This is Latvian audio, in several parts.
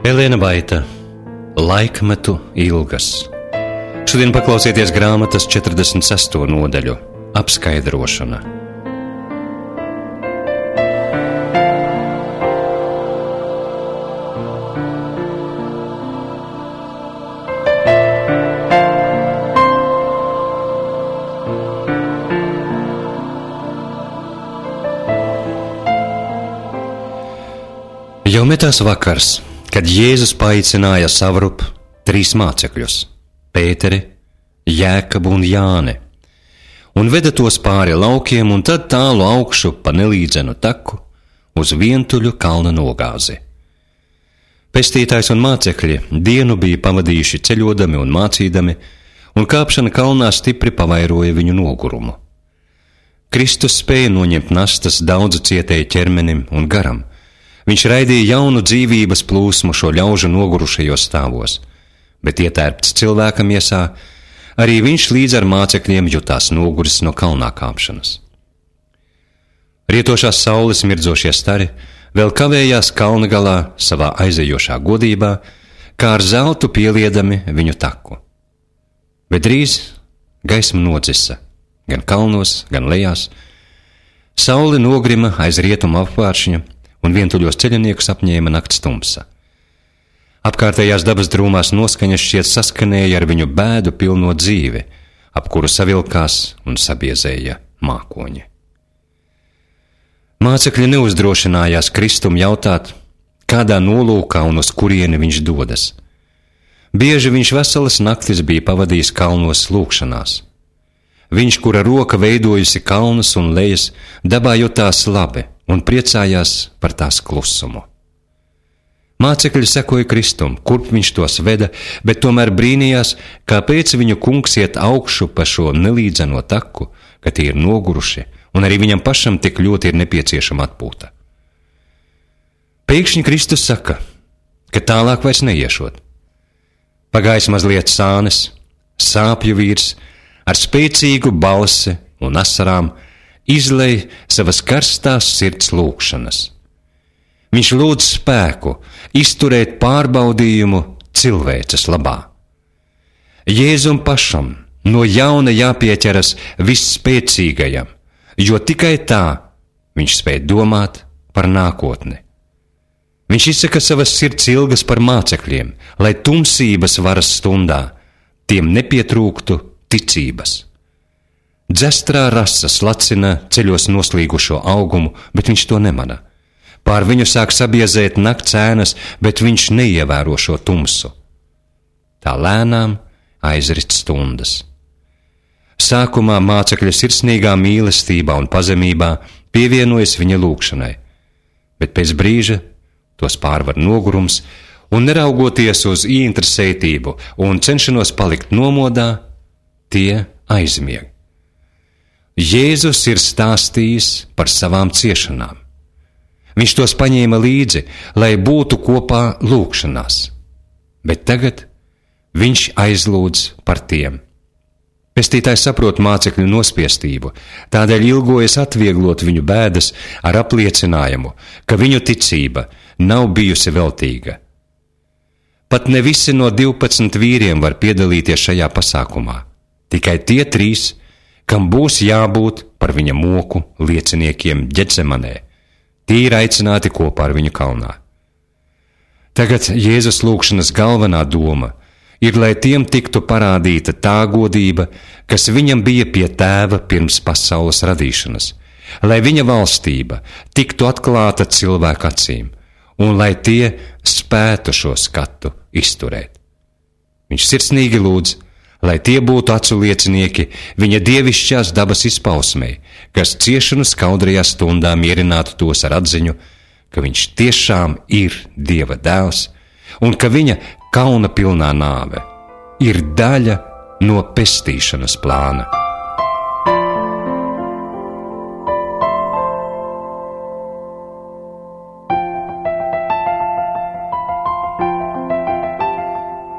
Elēna Baita, Laikmetu ilgas. Šodien paklausieties grāmatas 46. nodaļu – apskaidrošana. Jau metās vakars, kad Jēzus paaicināja savrup 3 mācekļus – Pēteri, Jēkabu un Jāni, un veda tos pāri laukiem un tad tālu augšu pa nelīdzenu taku uz vientuļu kalna nogāzi. Pestītājs un mācekļi dienu bija pavadījuši ceļodami un mācīdami, un kāpšana kalnā stipri pavairoja viņu nogurumu. Kristus spēja noņemt nastas daudzu cietēju ķermenim un garam. Viņš raidīja jaunu dzīvības plūsmu šo ļaužu nogurušajos stāvos, bet ietērpts cilvēka miesā, arī viņš līdz ar mācekļiem jutās noguris no kalnā kāpšanas. Rietošās saules mirdzošie stari vēl kavējās kalna galā savā aizejošā godībā, kā ar zeltu pieliedami viņu taku. Bet drīz gaisma nodzisa, gan kalnos, gan lejās. Saule nogrima aiz rietumu apvāršņa, un vientuļos ceļniekus apņēma nakts tumsa. Apkārtējās dabas drūmās noskaņas šķiet saskanēja ar viņu bēdu pilno dzīvi, ap kuru savilkās un sabiezēja mākoņi. Mācekļi neuzdrošinājās Kristum jautāt, kādā nolūkā un uz kurieni viņš dodas. Bieži viņš veselas naktis bija pavadījis kalnos lūkšanās. Viņš, kura roka veidojusi kalnus un lejas, dabā jutās labi un priecājās par tās klusumu. Mācekļi sekoja Kristum, kurp viņš tos veda, bet tomēr brīnījās, kāpēc viņu kungs iet augšu pa šo nelīdzeno taku, ka tie ir noguruši, un arī viņam pašam tik ļoti ir nepieciešama atpūta. Pēkšņi Kristus saka, ka tālāk vairs neiešot. Pagājis mazliet sānes, sāpju vīrs, ar spēcīgu balsi un asarām, izlej savas karstās sirds lūkšanas. Viņš lūdz spēku izturēt pārbaudījumu cilvēces labā. Jēzum pašam no jauna jāpieķeras visspēcīgajam, jo tikai tā viņš spēj domāt par nākotni. Viņš izsaka savas sirds ilgas par mācekļiem, lai tumsības varas stundā tiem nepietrūktu ticības. Dzestrā rasa slacina ceļos noslīgušo augumu, bet viņš to nemana. Pār viņu sāk sabiezēt nakts ēnas, bet viņš neievēro šo tumsu. Tā lēnām aizrit stundas. Sākumā mācekļa sirsnīgā mīlestībā un pazemībā pievienojas viņa lūkšanai, bet pēc brīža tos pārvar nogurums un neraugoties uz ieinteresētību un cenšanos palikt nomodā, tie aizmieg. Jēzus ir stāstījis par savām ciešanām. Viņš tos paņēma līdzi, lai būtu kopā lūkšanās, bet tagad viņš aizlūdz par tiem. Pestītājs saprot mācekļu nospiestību, tādēļ ilgojas atvieglot viņu bēdas ar apliecinājumu, ka viņu ticība nav bijusi veltīga. Pat ne visi no 12 vīriem var piedalīties šajā pasākumā, tikai tie 3, kam būs jābūt par viņa moku lieciniekiem Ģetsemanē. Tie ir aicināti kopā ar viņu kalnā. Tagad Jēzus lūkšanas galvenā doma ir, lai tiem tiktu parādīta tā godība, kas viņam bija pie Tēva pirms pasaules radīšanas, lai viņa valstība tiktu atklāta cilvēku acīm, un lai tie spētu šo skatu izturēt. Viņš sirsnīgi lūdz, lai tie būtu acu liecinieki viņa dievišķās dabas izpausmei, kas ciešanu skaudrajā stundā mierinātu tos ar atziņu, ka viņš tiešām ir Dieva dēls un ka viņa kauna pilnā nāve ir daļa no pestīšanas plāna.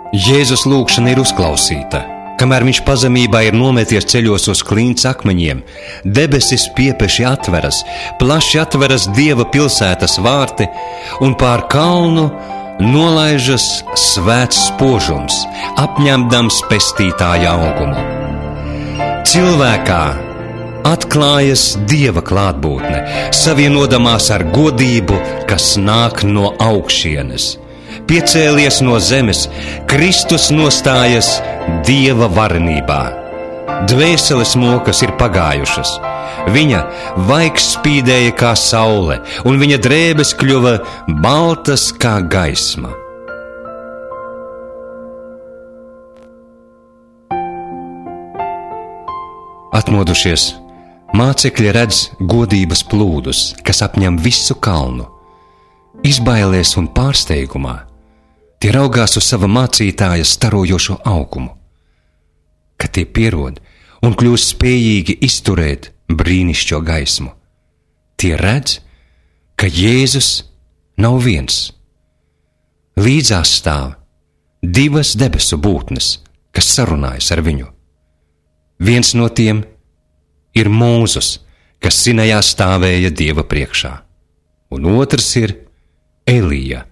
Jēzus lūkšana ir uzklausīta. Kamēr viņš pazemībā ir nometies ceļos uz klints akmeņiem, debesis piepeši atveras, plaši atveras Dieva pilsētas vārti, un pār kalnu nolaižas svēts spožums, apņemdams pestītāja augumu. Cilvēkā atklājas Dieva klātbūtne, savienodamās ar godību, kas nāk no augšienes. Piecēlies no zemes, Kristus nostājas Dieva varenībā. Dvēseles mokas ir pagājušas, viņa vaigs spīdēja kā saule, un viņa drēbes kļuva baltas kā gaisma. Atmodušies, mācekļi redz godības plūdus, kas apņem visu kalnu. Izbailēs un pārsteigumā tie raugās uz sava mācītāja starojošo augumu. Kad tie pierod un kļūst spējīgi izturēt brīnišķo gaismu, tie redz, ka Jēzus nav viens. Līdzās stāv divas debesu būtnes, kas sarunājas ar viņu. Viens no tiem ir Mūzus, kas Sinajā stāvēja Dieva priekšā, un otrs ir Elija,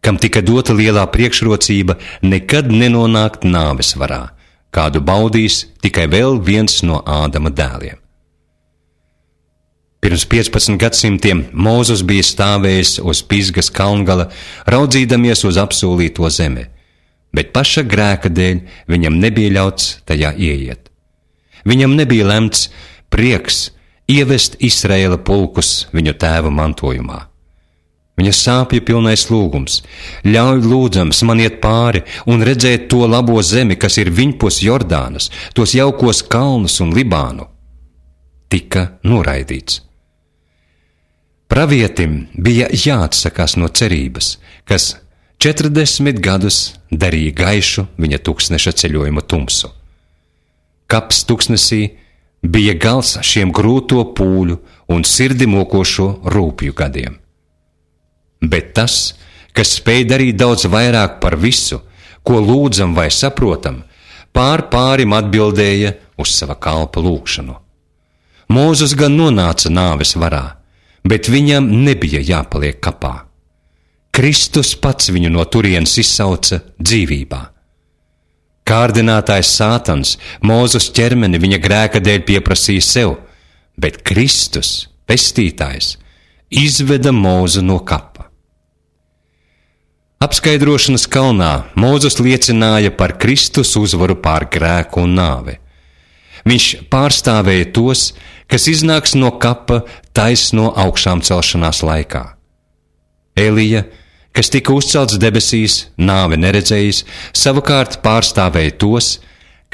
kam tika dota lielā priekšrocība nekad nenonākt nāves varā, kādu baudīs tikai vēl viens no Ādama dēliem. Pirms 15 gadsimtiem Mūzus bija stāvējis uz Pisgas kalngala, raudzīdamies uz apsolīto zemi, bet paša grēka dēļ viņam nebija ļauts tajā ieiet. Viņam nebija lemts prieks ievest Izraēla pulkus viņu tēva mantojumā. Viņa sāpju pilnais lūgums: ļauj lūdzams man iet pāri un redzēt to labo zemi, kas ir viņpus Jordānas, tos jaukos kalnus un Libānu, tika noraidīts. Pravietim bija jāatsakās no cerības, kas 40 gadus darīja gaišu viņa tuksneša ceļojuma tumsu. Kaps tuksnesī bija gals šiem grūto pūļu un sirdi mokošo rūpju gadiem. Bet tas, kas spēj darīt daudz vairāk par visu, ko lūdzam vai saprotam, pārim atbildēja uz sava kalpa lūgšanu. Mūzus gan nonāca nāves varā, bet viņam nebija jāpaliek kapā. Kristus pats viņu no turienes izsauca dzīvībā. Kārdinātājs Sātans Mūzus ķermeni viņa grēka dēļ pieprasīja sev, bet Kristus, pestītājs, izveda Mūzu no kapa. Apskaidrošanas kalnā Mūzus liecināja par Kristus uzvaru pār grēku un nāvi. Viņš pārstāvēja tos, kas iznāks no kapa taisno augšām celšanās laikā. Elija, kas tika uzcelts debesīs, nāve neredzējis, savukārt pārstāvēja tos,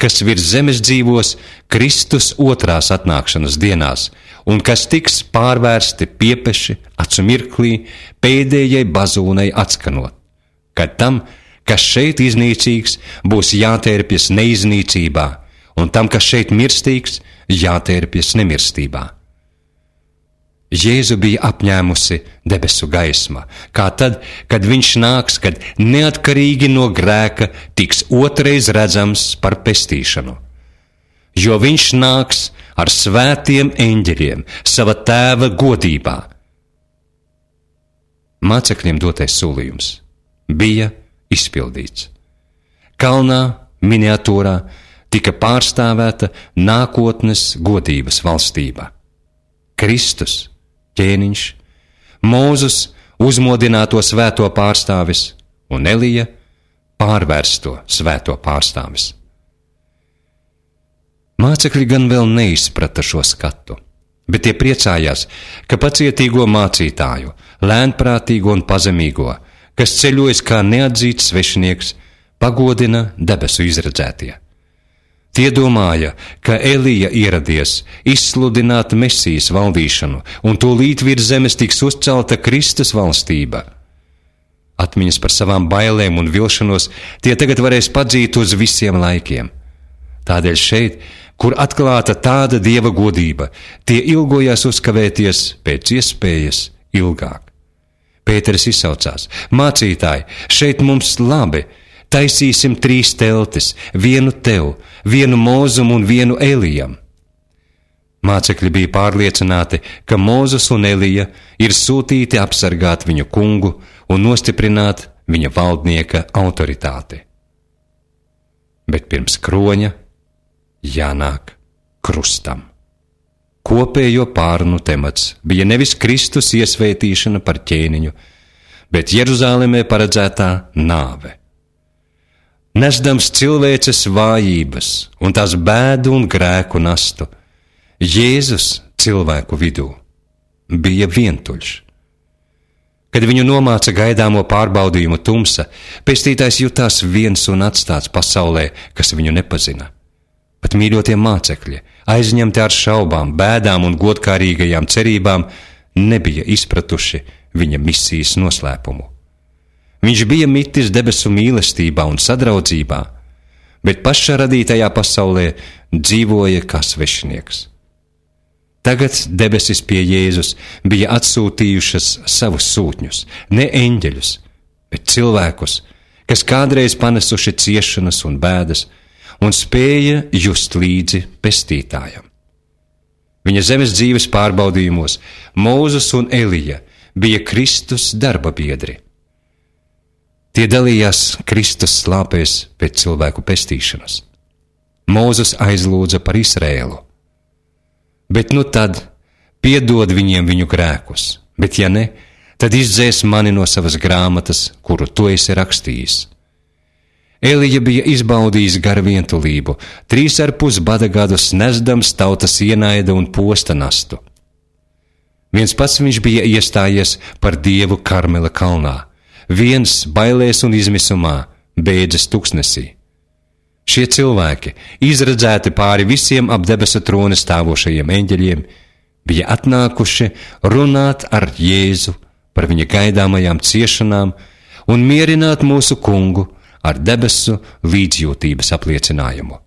kas virs zemes dzīvos Kristus otrās atnākšanas dienās, un kas tiks pārvērsti piepeši acu mirklī pēdējai bazūnai atskanot, kad tam, kas šeit iznīcīgs, būs jātērpjas neiznīcībā, un tam, kas šeit mirstīgs, jātērpjas nemirstībā. Jēzu bija apņēmusi debesu gaisma, kā tad, kad viņš nāks, kad neatkarīgi no grēka tiks otrais redzams par pestīšanu. Jo viņš nāks ar svētiem eņģeļiem sava tēva godībā. Mācekļiem dotais solījums bija izpildīts. Kalnā, miniatūrā, tika pārstāvēta nākotnes godības valstība. Kristus, ķēniņš, Mūzus uzmodināto svēto pārstāvis un Elija pārvērsto svēto pārstāvis. Mācekļi gan vēl neizprata šo skatu, bet tie priecājās, ka pacietīgo mācītāju, lēnprātīgo un pazemīgo, kas ceļojas kā neatzīts svešinieks, pagodina debesu izredzētie. Tie domāja, ka Elija ieradies izsludināt Mesijas valdīšanu, un tūlīt virs zemes tiks uzcelta Kristus valstība. Atmiņas par savām bailēm un vilšanos tie tagad varēs padzīt uz visiem laikiem. Tādēļ šeit, kur atklāta tāda Dieva godība, tie ilgojās uzkavēties pēc iespējas ilgāk. Pēteris izsaucās: mācītāji, šeit mums labi, taisīsim 3 teltis, vienu tev, vienu Mūzum un vienu Elijam. Mācekļi bija pārliecināti, ka Mūzus un Elija ir sūtīti apsargāt viņu kungu un nostiprināt viņa valdnieka autoritāti. Bet pirms kroņa jānāk krustam. Kopējo pārunu temats bija nevis Kristus iesvētīšana par ķēniņu, bet Jeruzālemē paredzētā nāve. Nesdams cilvēces vājības un tās bēdu un grēku nastu, Jēzus cilvēku vidū bija vientuļš. Kad viņu nomāca gaidāmo pārbaudījumu tumsa, pestītājs jutās viens un atstāts pasaulē, kas viņu nepazina. Pat mīļotie mācekļi, aizņemti ar šaubām, bēdām un godkārīgajām cerībām, nebija izpratuši viņa misijas noslēpumu. Viņš bija mitis debesu mīlestībā un sadraudzībā, bet pašā radītajā pasaulē dzīvoja kā svešinieks. Tagad debesis pie Jēzus bija atsūtījušas savus sūtņus, ne eņģeļus, bet cilvēkus, kas kādreiz panesuši ciešanas un bēdas un spēja just līdzi pestītājam. Viņa zemes dzīves pārbaudījumos Mūzes un Elija bija Kristus darba biedri. Tie dalījās Kristus slāpēs pēc cilvēku pestīšanas. Mūzes aizlūdza par Izrēlu. Bet nu tad piedod viņiem viņu grēkus, bet ja ne, tad izdzēs mani no savas grāmatas, kuru tu esi rakstījis. Elija bija izbaudījis garu vientulību, 3,5 bada gadus nesdams tautas ienaida un posta nastu. Viens pats viņš bija iestājies par Dievu Karmela kalnā, viens bailēs un izmisumā, bēdzas tuksnesī. Šie cilvēki, izredzēti pāri visiem ap debesu trona stāvošajiem eņģeļiem, bija atnākuši runāt ar Jēzu par viņa gaidāmajām ciešanām un mierināt mūsu kungu ar debesu līdzjūtības apliecinājumu.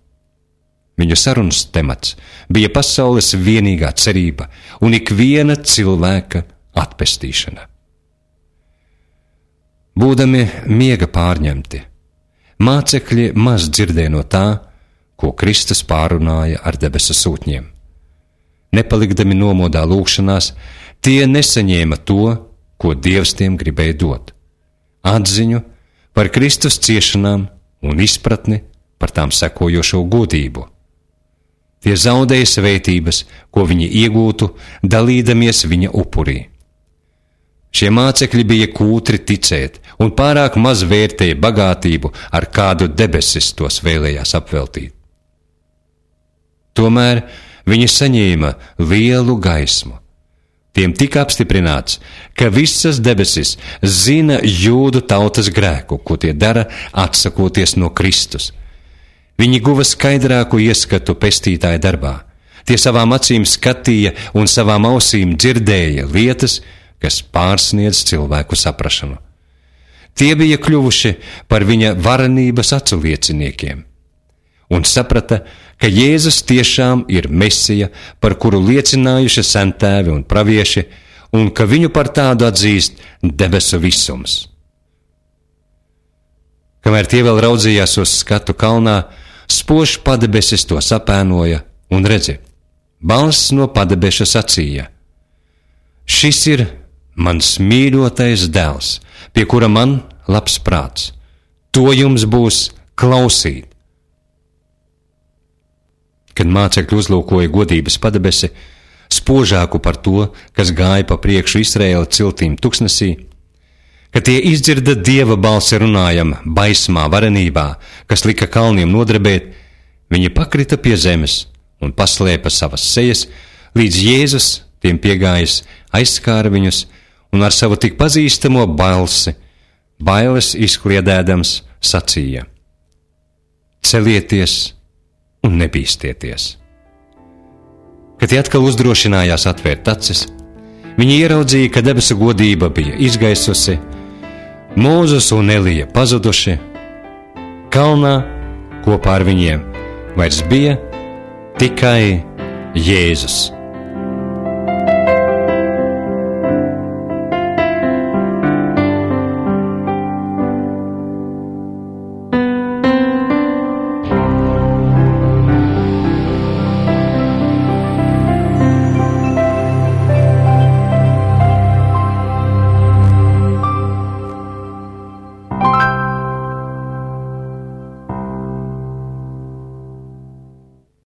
Viņu sarunas temats bija pasaules vienīgā cerība un ikviena cilvēka atpestīšana. Būdami miega pārņemti, mācekļi maz dzirdēja no tā, ko Kristus pārunāja ar debesu sūtņiem. Nepalikdami nomodā lūgšanās, tie nesaņēma to, ko Dievs tiem gribēja dot – atziņu par Kristus ciešanām un izpratni par tām sekojošo godību. Tie zaudēja svētības, ko viņi iegūtu, dalīdamies viņa upurī. Šie mācekļi bija kūtri ticēt un pārāk maz vērtēja bagātību, ar kādu debesis tos vēlējās apveltīt. Tomēr viņi saņēma lielu gaismu. Tiem tika apstiprināts, ka visas debesis zina jūdu tautas grēku, ko tie dara, atsakoties no Kristus. Viņi guva skaidrāku ieskatu pestītāja darbā. Tie savām acīm skatīja un savām ausīm dzirdēja lietas, kas pārsniedz cilvēku saprašanu. Tie bija kļuvuši par viņa varenības aculieciniekiem un saprata, ka Jēzus tiešām ir Mesija, par kuru liecinājuši sentēvi un pravieši, un ka viņu par tādu atzīst debesu visums. Kamēr tie vēl raudzījās uz skatu kalnā, spožs padebesis to sapēnoja un redzi, balss no padebeša sacīja: šis ir mans mīļotais dēls, pie kura man labs prāts. To jums būs klausīt. Kad mācekļi uzlūkoja godības padebesi, spožāku par to, kas gāja pa priekšu Izraēla ciltīm tuksnesī, kad tie izdzirda Dieva balsi runājam baismā varenībā, kas lika kalniem nodrebēt, viņi pakrita pie zemes un paslēpa savas sejas, līdz Jēzus tiem piegājis aizskāra viņus un ar savu tik pazīstamo balsi, bailes izkliedēdams, sacīja: celieties un nebīstieties. Kad tie atkal uzdrošinājās atvērt acis, viņi ieraudzīja, ka debesu godība bija izgaisusi, Mūzes un Elija pazuduši, kalnā kopā ar viņiem vairs bija tikai Jēzus.